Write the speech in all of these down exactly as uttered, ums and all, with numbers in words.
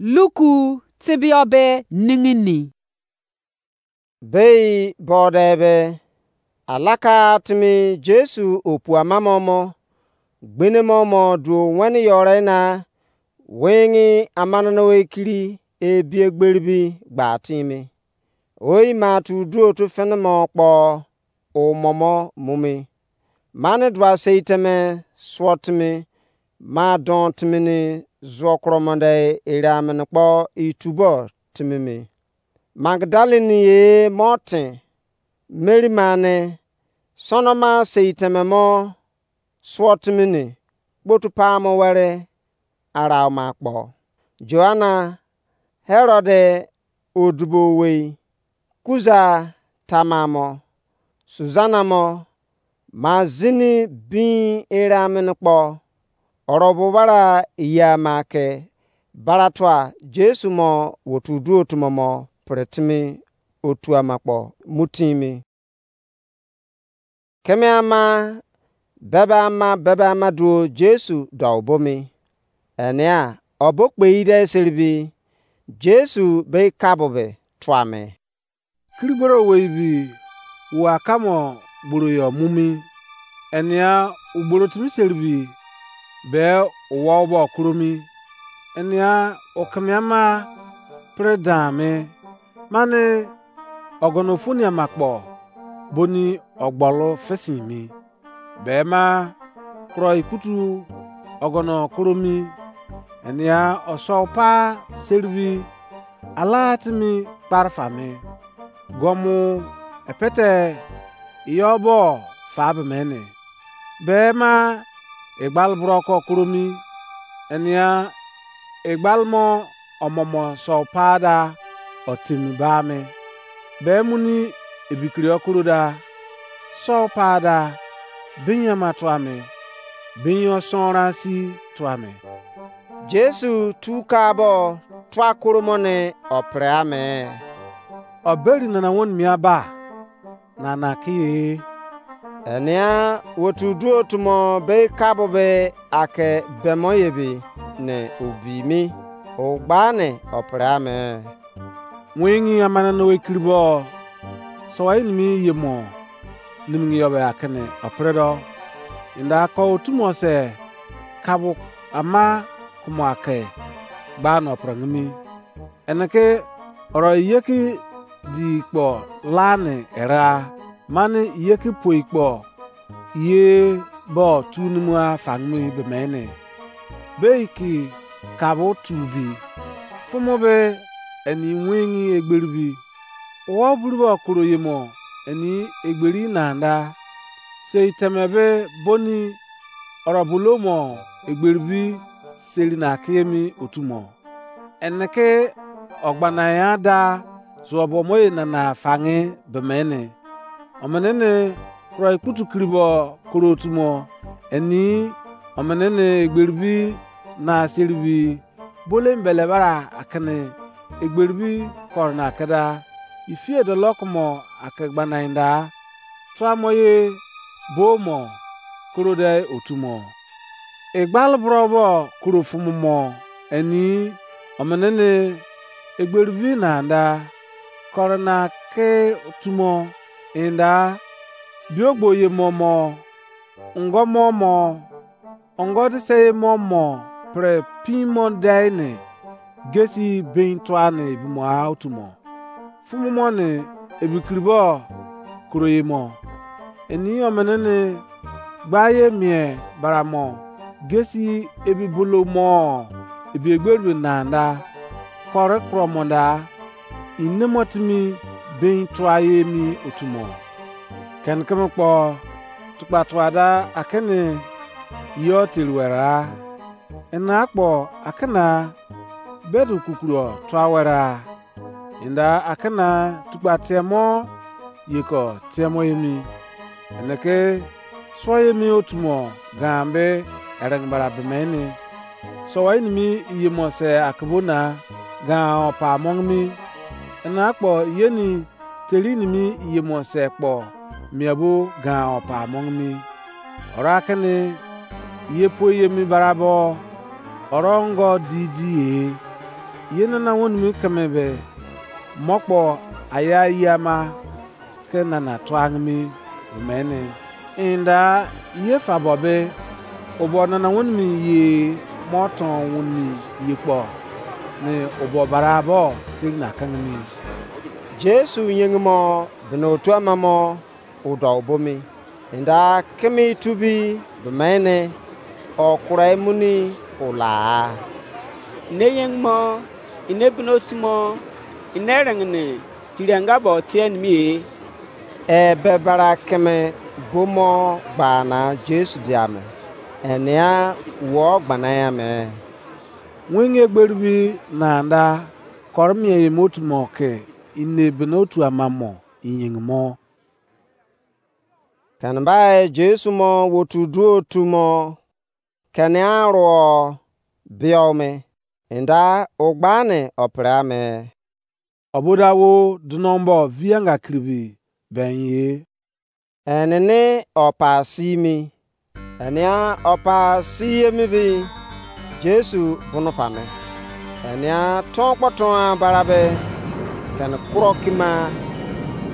Luku tebiyọ be ningini. Bei bọde be, alaka timi Jesu opu ama mo mo, gbene mo mo duo wẹni yọre na, wẹngi amanana ekiri ebi egberibi gba timi. Oyi ma tu duo tu fene mo kpọ, o mo mo mu mi. Mani dua sei teme suo timi, ma don timi ni zuo kuro mo de ere amini kpo itubo timi mi. Magdalene ye mo tin, Mary mani, sono ma sei teme mo suo timi ni, kpotu pamo weri arau ma kpo. Joanna, Herod odibo owei, Kuza, Tamar mo, Susanna mo, ma zini bin ere amini kpo, orobo bara iya ma ke baratua Jesu mo wotu duo tumo mo pre timi otu ama kpo mu timi. Keme ama, bebe ama, bebe ama duo Jesu dou bomi. Enia, obo kpei de seribi, Jesu be kabu be tuame. Kirigboro owei bi, wo akamo gboro yo mumi. Enia, ugboro timi seribi, be uwo bo kuromi. Enia, ukeme ama pre dan mi. Mani ogono foni ama kpo boni ogbolo fesin mi. Be ma kuro ikutu ogono kuro mi. Enia osou pa seribi ala timi kparifa mi. Gomu epete iyo bo fa be mene. Be ma egbal bro ko kuro mi. Enia egbal mo omomo sou pa da otemi ba mi. Be muni ebikiri okuro da, sou pa da, binyama tua mi, binyo sonran si tua mi. Jesu tu ka bo tua koro mo ne o pre ame. O beri nana won mia ba, na na ki ye. Enia wotu duo tumo be kabu be ake bemo ye bi ne obi mi. O gba ne o pre ame. Wingi amana no ekiri bo. So wa ini mi ye mo. Nimngi yo be akene o pre do. Inda ko otu mo se kabu ama kumo ake gba no pre ngimi. Ene ke oro iyeki di kpo lani era, mani iyeki poi kpo ye bo tu numu afangmi be mene. Bei ki kabo tu bi. Fumo be eni wengi egberi bi. Uwo buru bo koro ye mo eni egberi nanda. Sei teme be boni oro bulo mo egberi bi seri na kiyemi otu mo. Ene ke ogbanayan da zuo bo mo ye nana fange be mene. Omene ne kuro ikputu kiri bo koro otu mo. Eni omene ne egberi bi na seri bi bole mbele bara akene egberi bi koro na keda. Ifie dolo kumo ake gbanayan da. Tua mo ye bo mo koro de otu mo. Egbal bro bo koro fumu mo eni omene ne egberi bi nanda koro na ke tumo inda biogbo ye mo mo ngo mo mo ongo dise ye mo mo pre pin mo dei ne gesi bin tua ne ebi mo a otu mo. Fumu mo ne ebi kiri bo koro ye mo. Eni omene ne gba ye mie bara mo gesi ebi bolo mo ebi egberi bi nanda kore kuro mo da ine mo timi bin tua ye emi otu mo. Ken keme kpo tukpa tua da akene yo teri were a. Ena akpo akena bedu kukuro tua were a. Inda akena tukpa tiemo yeko tiemo emi. Ene ke suo emi otu mo gan be eren bara be mene. So wa ini mi iye mo se akebo na gan opa among mi. Ena akpo yeni teri ini mi iye mo se kpo mia bo gan opa among mi. Ora kene ye po ye mi barabo oro ngo di di ye. Ye nana wenimu keme be, mo kpo aya ye ama ke nana tuange mi be mene. Enda ye fa bo be, obo nana wenimu ye mo ton wenimu ye kpo, ne obo bara bo seri na kenge mi. Jesu yenge mo bene otu ama mo o dou bo mi. Enda keme itubi be mene, o kura muni o la. Ne yeng mo, ine bene otu mo, ine rengene tiri anga bo tie nimi e. Ebe bara keme bo mo gba na Jesu dia me, enea wo gbana ya me. Wenge egberi bi na anda koro mien ye mo otu mo ke ine bene otu ama mo yeng mo. Kene bai Jesu mo wotu duo otu mo kene aruo biou me, enda o gba ne o pre ame. O bo da wo dunombo vi anga kiribi ben ye. Enene o pa si mi. Enea o pa si emi bi Jesu bunu fa me. Enea ton kpo ton bara be kene kuro kima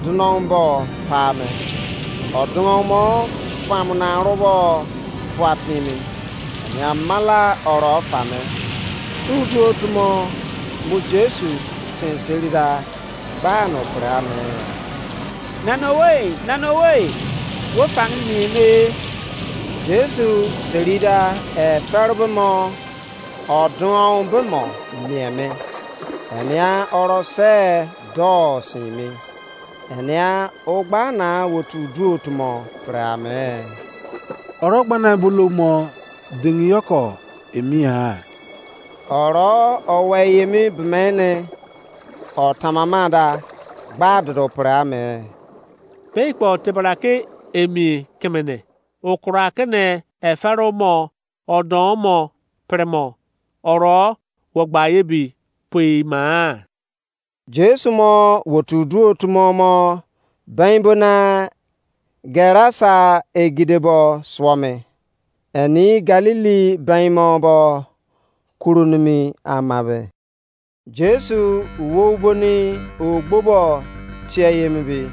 dunou bo pa me. O dunou mo famu na rubo tua timi. Enea mala oro fa me. Tu duo tumo mu Jesu tin seri da gba no pre ame. Nana owei, nana owei, wo fangini mien me. Jesu seri da e fere be mo, o duon be mo mien me. Enea oro se do sin me. Enea o gba na wo tu duo tumo pre ame. Oro gbana bulo mo dingi yoko emi ha. Oro owe yemi bemene o tamama da gba dodo pre ame. Pei kpo tebra ke emi kemene, o kura ke ne efero mo, o don mo, pre mo, oro wo gba ye bi poi ma. Jesu mo wotu duo tumo mo ben bo na Gerasa egide bo suo me. Eni Galili ben mo bo kuru nimi ama be. Jesu wou boni ogbo bo tie ye mi bi,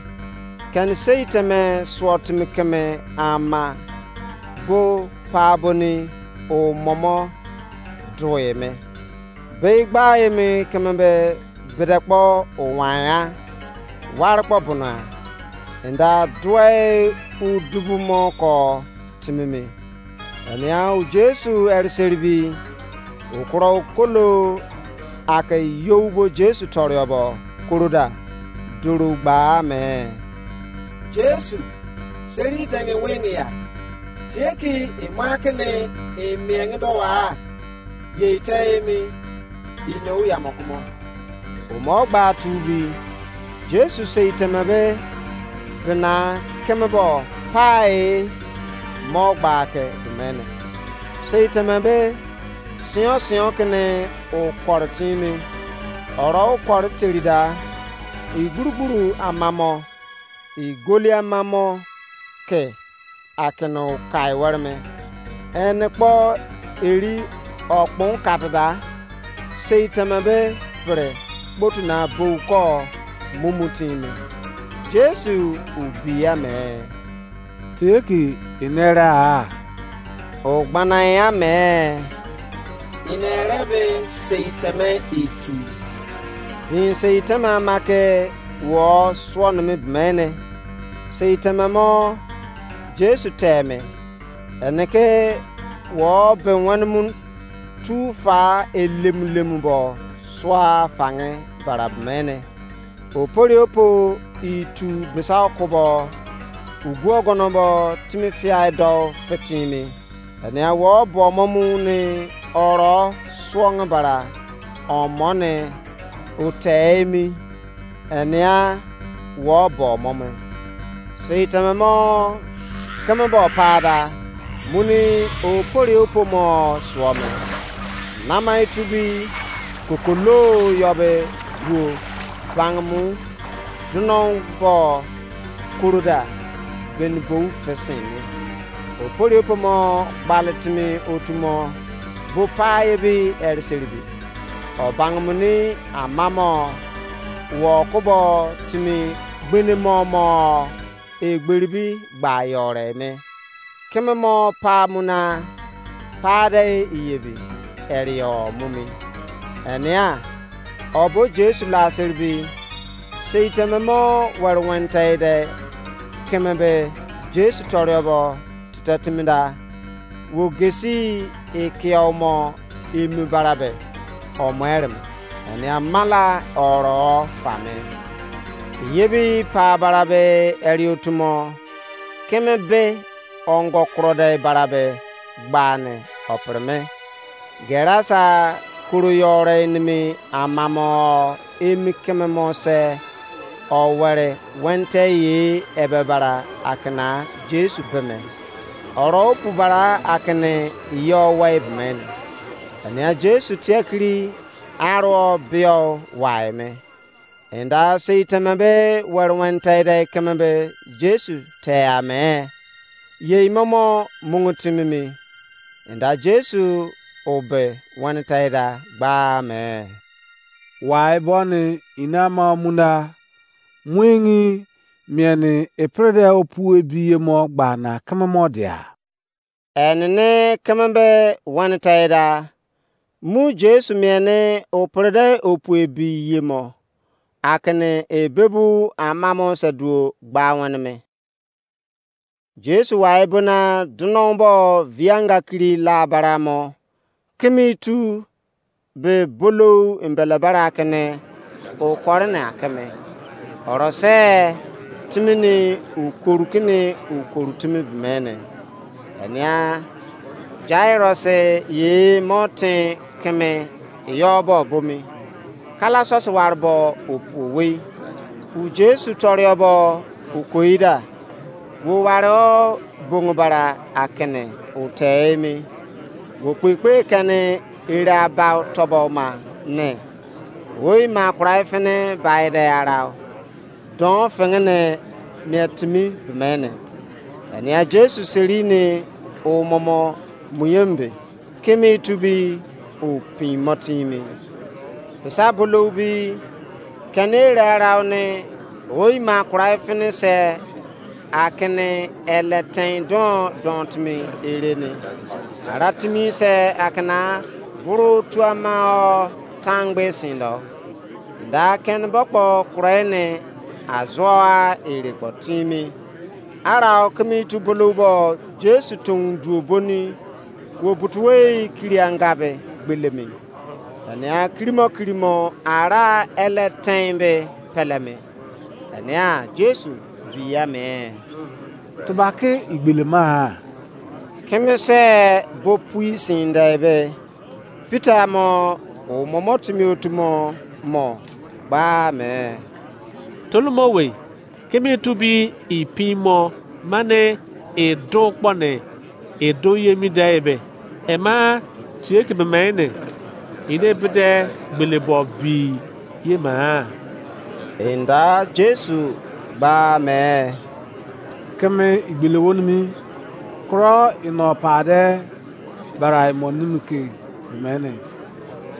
keni sei teme suo timi keme ama bo pa boni o momo due me. Bei gba emi keme be bede kpo o wan ya, ware kpo bono a, enda due udubu mo ko timi mi. Enea o Jesu eri seribi, okuro okolo ake you bo Jesu torio bo koroda duru gba me. Jesu, seri denge wenge ya. Tie ki ema kene emienge do wa. Ye ite emi, ino ya mo kumo. Omo gba tu bi, Jesu sei teme be bena keme bo pai mo gba ke bemene. Sei teme be sio sio kene o kore timi. Oro o kore terida, igburugburu amamo, igoli amamo ke akene o kai were me. Ene kpo eri okpon katida, sei teme be pre kpotu na bou ko mumu timi. Jesu ubi ya me. Tie ki ine ere a? O gbana ya me. Ine ere be sei teme itu. Bin sei teme ama ke wo suo nimi bemene. Sei teme mo Jesu teme. Ene ke wo be wenimu tu fa elemu lemu bo sua fange bara bemene. Opori opo itu bisa okubo, ugu ogono bo timi fiai do fitimi. Enea wo bo mo mu ni oro suonge bara omo ne o te emi. Enea wo bo mo me. Sei teme mo keme bo pada, muni opori opo mo suo me. Nama itubi kokolo yo be duo bangemu dunou bo koroda beni bou fesen me. Opori opo mo gbale timi otu mo bo pa ebi eri seribi. o bangumuni amamo wo kubo timi gbene mo mo egberibi gba yore me. Keme mo pa muna pa de iyebi erio mumi. Enia, obo Jesu la seribi, sei teme mo were wente de keme be Jesu toriobo tete timi da, wo gesi ikiao mo emu barabe o mo erem. Enia mala oro fame. Yebi pa barabe eri otumo, keme be ongo kuro de barabe gbane opere me. Gerasa kuru yore nimi amamo emi keme mo se o were wente ye ebe bara akena Jesu beme. Oro opu bara akene yo wai bemene. Ania Jesu tiakiri aro bio wai me. Enda sei teme be were wente de keme be Jesu te ame. Ye imomo mungu timi mi. Enda Jesu obe wente da gba me. Wai boni ina ma munda muingi mieni epre de opu ebi ye mo gba na keme mo dia. Enene keme be wene tei da, mu Jesu mien ne o pre de opu ebi ye mo, akene ebebu amamo se duo gba wene me. Jesu wai bona dunon bo vianga kiri la bara mo, kimi tu be bolou embele bara kene o kore ne akeme. Orose timi ni ukoru kini ukoru timi bimene. Enia Jairus ye mo tin keme yo bo bomi. Kala sosi ware bo owei. U Jesu torio bo okoida. Wo ware o bongo bara akene o te emi. Wo kpekpe kene ere aba tobo ma ne. Oi ma kurai fene bai de arau. Don fengene mia timi bemene. Enia Jesu seri ne o momo muyembe. Kimi tubi o pin motimi. Pesa bolou bi kene ere arau ne oi ma kurai fene se akene ele ten don don timi ere ni. Ara timi se akena buru tuama o tangbe sindo. Da ken bokpo kurai ne azoa ere kpo timi. Ara o kimi tu bolou bo Jesu tun duo boni wo butuwei kiri anga be gbelemi. Enia kirimo kirimo ara ele ten be pelemi. Enia Jesu via me. Tubaki igbele ma. Keme se bo pui sin de be. Peter mo o momo timi otumo mo gba me. Tolomo wei. Keme tubi ipin mo mane edo kpone edo yemi de ebe. Ema tie ke bemene ide bede gbele bo bi ye ma. Enda Jesu gba me. Keme igbele wonimi kro ino pade bara imo nimi ke bemene.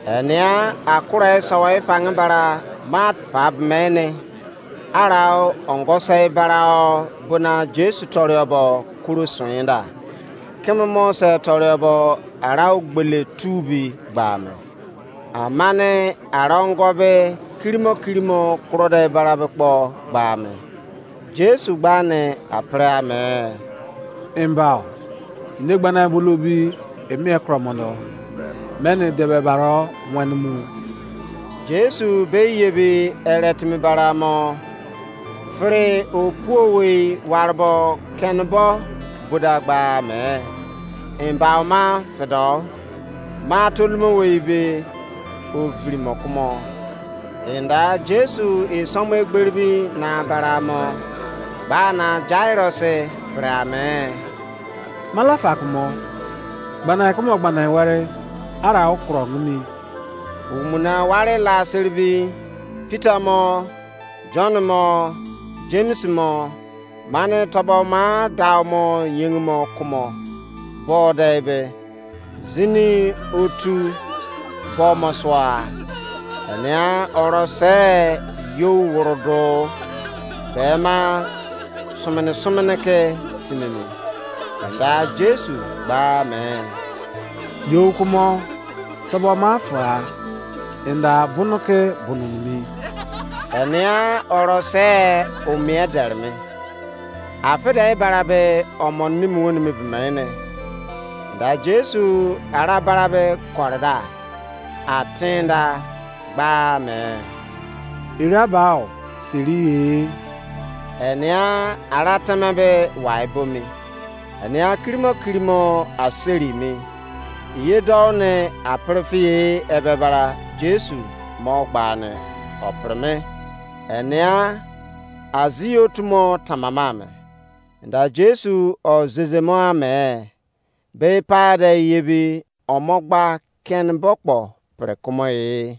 Enia akure sawa ifange bara mat pa bemene. Arau ongo sei barau bona Jesu toriobo kuru suinda. Keme mo se toriobo arau gbele tubi gba me. Amane arau ongo be kirimo kirimo kuro de bara be kpo gba me. Jesu gba ne apre ame. Embao. Ine gbana bolobi emi ekromono. Meni debe baro wenimu. Jesu be yebi ere timi bara mo. Fere opuo wei warbo kenbo buda gba me. Embao ma fedo. Ma tolumo wei be ovirimo kumo. Enda Jesu isomo egberibi na bara mo. Gba na Jairus pre ame. Mala fa kumo. Gbana kumo gbana ware ara okro ngini. Umuna ware la seribi Peter mo, John mo, James mo, mane tobo ma dau mo yeng mo kumo. Bo de be zini otu kpo mo sua. Enia oro se yo woro do be ma sumene sumene ke timimi. Enda Jesu gba me. Yo kumo tobo ma fa. Enda bunu ke bunu mi. Enia oro se o mie derme. Afide barabe omo nimu woni mi bimene. Da Jesu ara barabe korida. Atinda gba me. Ira bao siri e. Enia ara teme be wai bomi. Enia kirimo kirimo aseri mi. Iye dou ne apirifie ebe bara Jesu mo gba ne opirime. Enia azii otu mo tamama me. Da Jesu o zezemo ame. Be pade yebi omo gba ken bokpo pre kumo e.